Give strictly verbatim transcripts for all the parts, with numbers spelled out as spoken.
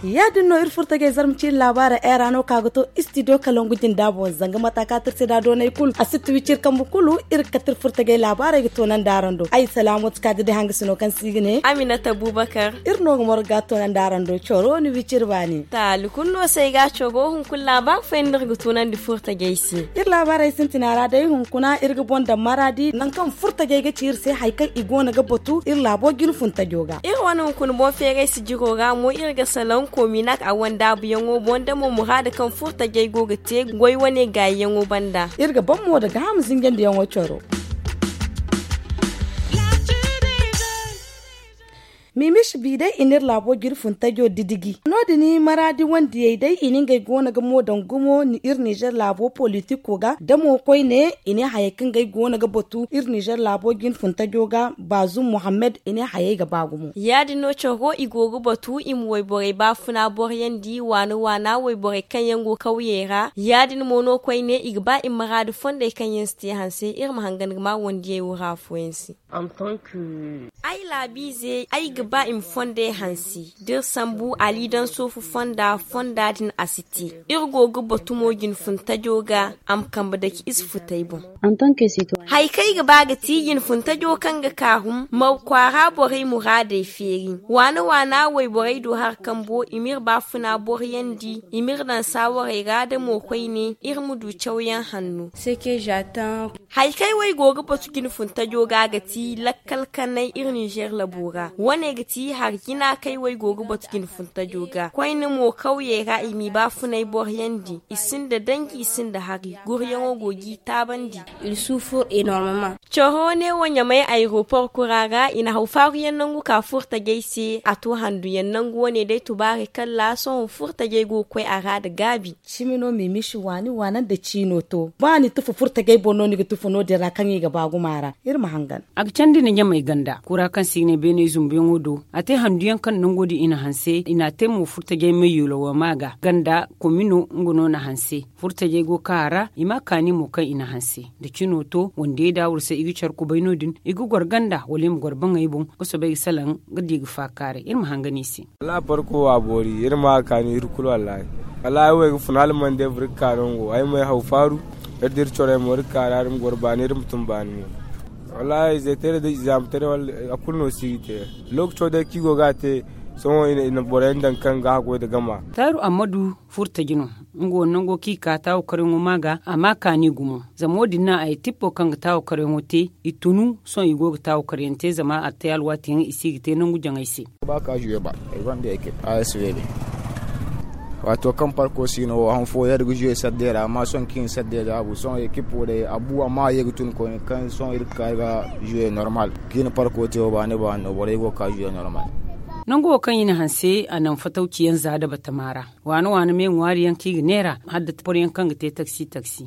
Ya- din no iri furtajey zarma ciiri laabaara era no ka ga to istidiyo kalangu jinda boŋ zanga mata ka tirse da doonay kulu a si tuwi ciri kambu kulu. Iri ga kate iri furtajey laabaarey ga toonandi araŋ do ay salaamatu ka ga day hanga sino kaŋ se i ga ne aminata abubakar. Iri no ga morga toonandi araŋ do coro ni wi ciri baani. Taali kulu no se ay ga coro hunkuna laabaari fooyaŋ no iri ga toonandi furtajey se. Iri laabaarey sintina ra day hunkuna iri ga boŋ daŋ maraadi nangu kaŋ furtajey ga ci iri se hari kaŋ i go no ga batu iri laabo jine funtajo ga. Iri wane hunkuna boŋ feeray sijiro ra mo iri ga salaŋ kominak a wandaabuyaŋo boŋ da mo muraada kaŋ furtajey go ga te goy wane gaayiyaŋo banda. Iri ga ban mo da gaaham zinjandiyaŋo coro. Miimishi bi day i na iri laabo jine funtajo didiji no- din maraadi wandiyey day i na ngey go no ga mo daŋ gumo iri nizer laabo politiko ga da mo koyne i ne hayey kaŋ ga ay go no ga batu iri nizer laabo jine funtajo ga baazum muhammad i ne hayey ga ba gumo. Ya- din no coro i go ga batu i ma wayborey baafuna boroyandi waana waana wayborey kaŋ yaŋ go kawyey ra ya- din mo no koyne i ga ba i ma maraadi fondey kaŋ yaŋ si te hanse iri ma hangan ga ma wandiyey wura afooyaŋ se. Ay laabiize ay ga ba i ma fondey hanse da iri sambu aliidaŋ soofu fonda fonda din a si te. Iri go ga batu mo jinfuntajo ga a ma kambe dake ize futey boŋ. Hari kaŋ ay ga ba ga ti jinfuntajo kaŋ ga kaarum ma kwaara borey muraadey feeri waana waana wayborey do hari kambo i ma iri baafuna boroyandi i ma iri daŋ saawarey ra da mo koyne iri ma du cawyaŋ hanno. Hari kaŋ ay wo ay go ga batu jinfuntajo ga ga ti lakkal kanay iri ninzeer labo ra wane ga ti hari jina kaŋ ay wo ay go ga batu jinfuntajo ga koyne mo kawyey ra i m'i baafunay boroyandi i sinda danji i sinda hari guryaŋo go g'i taabandi. Coro ne wo ɲamay aeropor kura ra i na haw faaruyaŋ nangu ka furtajey se a to handuyaŋ nangu wane day tubaarey kalla sohõ furtajey go ga koy a ra nda gaabi. Cimi no miimishi waani waana nda ciino to ba ni tufa furtajey boŋ no ni ga tufa no- din ra kaŋ i ga ba gumo a ra. Iri ma hangan. A ga candi nda ɲamay ganda kura kaŋ se i ga ne beeney zumbuyaŋo do a te handuyaŋ kaŋ nango din i na hanse i na a te mo furtajey mayyulo wo ma ga ganda komino nga no na hanse. Furtajey go ga ka a ra i ma a kaani mo kaŋ i na hanse nda cino to wandiyey da wurse i ga care kubay no- din i ga goro ganda wala i ma goro baŋey boŋ ga soobay ga salaŋ ga di ga faakaaray iri ma hangan i se. Wallaahi parko wo a boori iri ma a kaani iri kulu wallaahi. Wallaahi ay wo ay ga fun hala mande boro ga ka nango ay ma ay haw faaru. Iri da iri corey mo iri ga ka ra iri ma goro baani iri ma tun baani mo. Wallaahi izey teeray da izaama teeray a kulu no si ga te. Lookaco day kaŋ i go ga a te sohõ i na boroyaŋ daŋ kaŋ ga haggoy nda gama. Taaru ammadu furtaji no. Nga wo nango kaŋ i ka taawakaryaŋo ma ga a ma kaani gumo zama wo- din no a ye tippo kaŋ ga taawakaryaŋo te i tunu sohõ i go ga taawakaryaŋ te zama a te alwaatiyaŋ i si ga te nangu jaŋay se. Ba ka zuwe ba ay gonda ekip a s v d. Waato kaŋ parko si no wo han fooyaŋ iri ga zuwe saddey ra amma sohõ kaŋ i na saddey daabu sohõ ekip wo day a bu amma a ye ga tun koyne kaŋ sohõ iri ga ka ga zuwe normal. Kaŋ i na parko te wo baani baani no borey go ga ka zuwe normal. Nangu wo kaŋ i na hanse a naŋ fatawciyaŋ za da batama ra. Waana waana me ŋwaari yaŋ kaŋ i ga neera hala da boro yaŋ kaŋ ga te taksi taksi.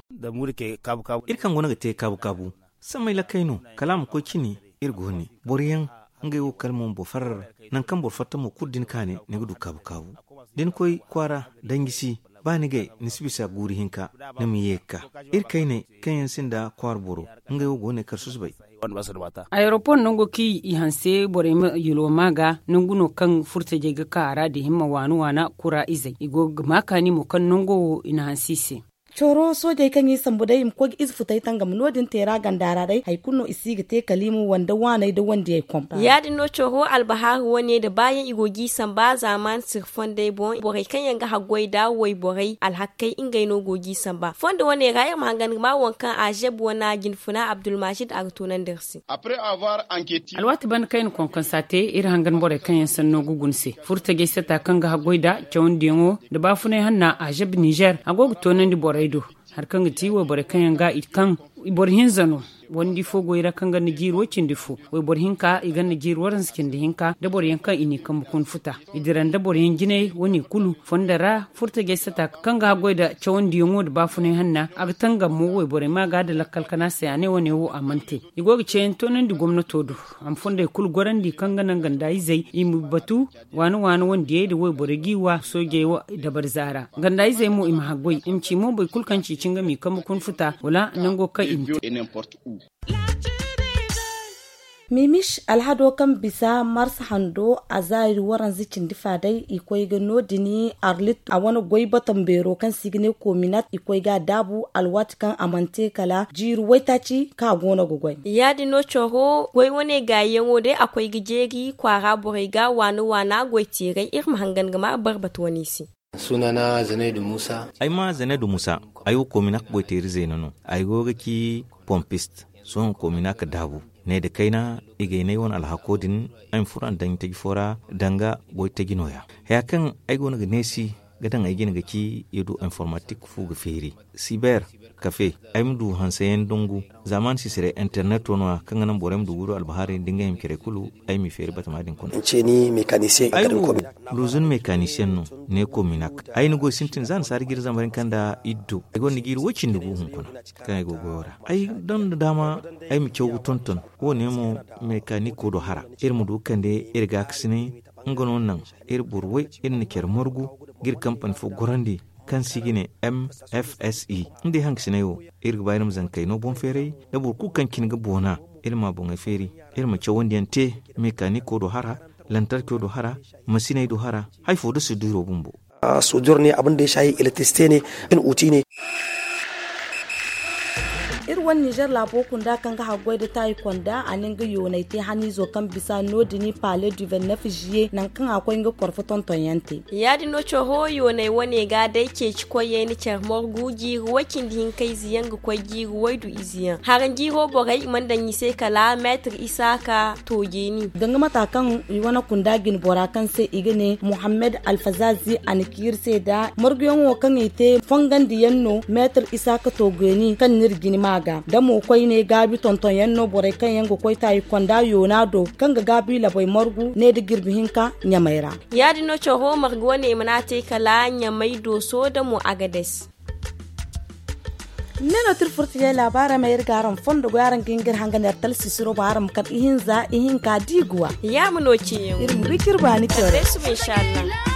Iri kaŋ go no ga te kaabu kaabu samay lakkey no kala a ma koy cine. Iri go ne boro yaŋ ngey wo kala mo ma boro farra ra. Nangu kaŋ boro fatta mo kulu da ni ka ne ni ga du kaabu kaabu da ni koy kwaara danji si ba ni gay ni si bisa guuru hinka. Ni ma ye ga ka iri kayney kaŋ yaŋ sinda kwaara boro ngey wo go ne kala susubay. Ayeropor nango kaŋ i hanse borey ma yulwa ma ga nangu no kaŋ furtajey ga ka a ra da himma waana waana kura izey i go ga ma kaani mo kaŋ nango wo i na hanse i se. Coro soojey kaŋ i sambu day i ma koy ga ize futay tangam no- din te ra ganda ra day hari kulu no i si ga te kala i ma wande waaney nda wandiyey kom. Ya- din no coro albahaaru wane nda baayaŋ i go g'i samba zaamaani sirri fondey boŋ borey kaŋ yaŋ ga haggoy nda wayborey alhakkey ngey no go g'i samba fondo wane ra iri ma hangan ga ma waŋ kaŋ azeb wana jinfuna abdulmajid a ga toonandi iri se. Alwaati banda kaŋ i na konkonsa te iri hangan borey kaŋ yaŋ sanno ga guna se furtajey sata kaŋ ga haggoy nda cawandiyaŋo nda baafunay hanna azeb nizer a go ga toonandi borey do. Hari kaŋ ga ti wayborey kaŋ yaŋ ga i kaŋ boro hinza no. Wandi fo goy ra kaŋ ga na jiiri way cindi fo, wayboro hinka i ga na jiiri waranza cindi hinka da boro yaŋ kaŋ i n'i kambe kuna futa. I dira nda boro yaŋ jinay wane kulu fondo ra furtajey sata kaŋ ga haggoy nda cawandiyaŋo nda baafunay hanna a ga tangam mo wayborey ma ga nda lakkal kana se a ne wane wo a mana te. I go ga ceeyaŋ toonandi gomnato do a ma fondey kulu gorandi kaŋ ga naŋ ganda izey i ma batu waani waani wandiyey nda wayborey g'i wa soojey wo dabari zaara ganda izey mo i ma haggoy i ma ci mo boro kulu kaŋ ci cin ga m'i kambe kuna futa wala nango kaŋ i ma te. Mimish alhado kaŋ bisa mars hando a zaari waranza cindi fa day i koy ga no- din arlit a wane goy batam beero kaŋ se i ga ne kominat i koy ga a daabu alwaati kaŋ a mana te kala jiiri waytaaci kaŋ a go no ga goy. Ya- din no coro goy wane gaayiyaŋo day a koy ga jeeri kwaara borey ga waana waana goy teeray iri ma hangan ga ma barbata wane se. Sunana zanaydu musa. Ay ma zanaydu musa. Ay wo kominak goy teeri zeena no. Ay go ga ci pompist sohõ kominak daabu. Ne nda kayna i ga ay ne ay wane alhako din. Ay ma furo a na daŋ taji fo ra danga goy taji nooya. Haya kaŋ ay go no ga neesi ga daŋ ay jine ga ci i du informatik fu ga feeri siber kafe. Ay ma du hanseyaŋ dangu zaamaani sisirey interneto no- ya kaŋ ga naŋ borey ma du ga du albahaarey nda ngey hima care kulu. Ay m'i feeri batama din kuna. Luzun mekanisiyeŋ no ne kominak. Ay na goy sintin za nasaara jiiri zambar hinka nda iddo ay gonda jiiri way cindi gu hunkuna kaŋ ay go goyo ra. Ay daŋ nda daama ay ma caw ga tonton. Wo- ne mo mekaniko do hara iri ma du ga kande iri gaakasinay. Nga no naŋ iri boro way iri na care margu ga iri kampani fo gorandi kaŋ se i ga ne mfse. Nga day hangasinay wo iri ga ba iri ma zankey no boŋ feeray da boro kulu kaŋ cine ga boona. Iri ma boŋey feeri iri ma cawandi yaŋ te mekaniko do hara lantarco do hara masiney do hara. Hari fo da suduro bumbo. Suduro ne abin da ya shahi electricite ne in uti ne. Iri wane nizer laabo kunda kaŋ ga haggoy nda taayi konda a ne nga yoonay te haniizo kaŋ bisa no- din pale du vingt neuf juillet nangu kaŋ a koy nga korfo tonton yaŋ te. Ya- din no coro yooney wane ga day ceeci koyey na care margu jiiri way cindi hinka ize yaŋ ga koy jiiri waydu ize yaŋ haranjiiro borey i mana daŋ i se kala meetir isaaka toojeeni. Danga mata kaŋ i wane kunda jine bora kaŋ se i ga ne muhammad alfazazi a na ci iri se nda marguyaŋo kaŋ i te fongandi yaŋ no meetir isaaka toojeeni kaŋ n'iri jine ma ga da mo koyne gaabi tonton yaŋ no borey kaŋ yaŋ ga koy taayi konda yoona do kaŋ ga gaabi labay margu ne nda jirbi hinka ɲamay ra. Ya- din no coro margu wane i mana a te kala ɲamay dooso da mo agades. Ne no tira furtijey laabaarey ma iri ga araŋ fondo goy araŋ ga hin ga iri hangan iri talsisiro boŋ araŋ ma kar ihinza ihinka da i ga wa. Ya ma no ceeyaŋ iri ma du ciri baani care. Kala day suba inshallah.